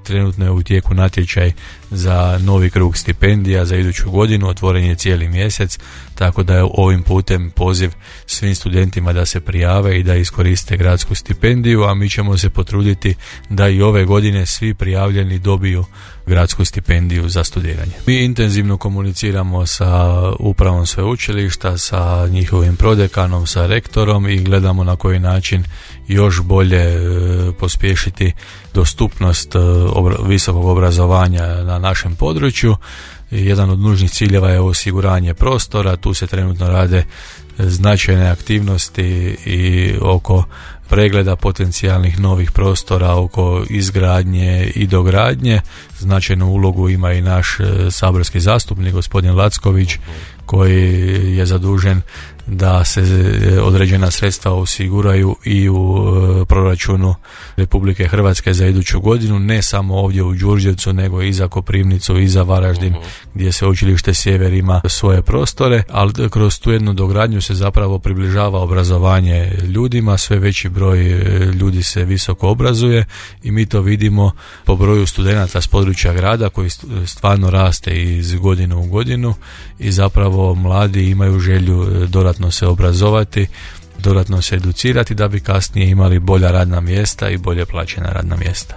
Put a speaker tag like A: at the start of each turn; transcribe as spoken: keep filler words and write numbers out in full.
A: trenutno je u tijeku natječaj za novi krug stipendija za iduću godinu, otvoren je cijeli mjesec, tako da je ovim putem poziv svim studentima da se prijave i da iskoriste gradsku stipendiju, a mi ćemo se potruditi da i ove godine svi prijavljeni dobiju gradsku stipendiju za studiranje. Mi intenzivno komuniciramo sa upravom sveučilišta, sa njihovim prodekanom, sa rektorom i gledamo na koji način još bolje e, pospješiti dostupnost e, obra- visokog obrazovanja na našem području. Jedan od nužnih ciljeva je osiguranje prostora, tu se trenutno rade značajne aktivnosti i oko pregleda potencijalnih novih prostora, oko izgradnje i dogradnje. Značajnu ulogu ima i naš e, saborski zastupnik gospodin Lacković, koji je zadužen da se određena sredstva osiguraju i u e, proračunu Republike Hrvatske za iduću godinu, ne samo ovdje u Đurđevcu, nego i za Koprivnicu i za Varaždin, uh-huh. gdje Sveučilište Sjever ima svoje prostore, ali kroz tu jednu dogradnju se zapravo približava obrazovanje ljudima, sve veći broj ljudi se visoko obrazuje i mi to vidimo po broju studenata s područja grada koji stvarno raste iz godinu u godinu i zapravo mladi imaju želju dodatno se obrazovati, dodatno se educirati da bi kasnije imali bolja radna mjesta i bolje plaćena radna mjesta.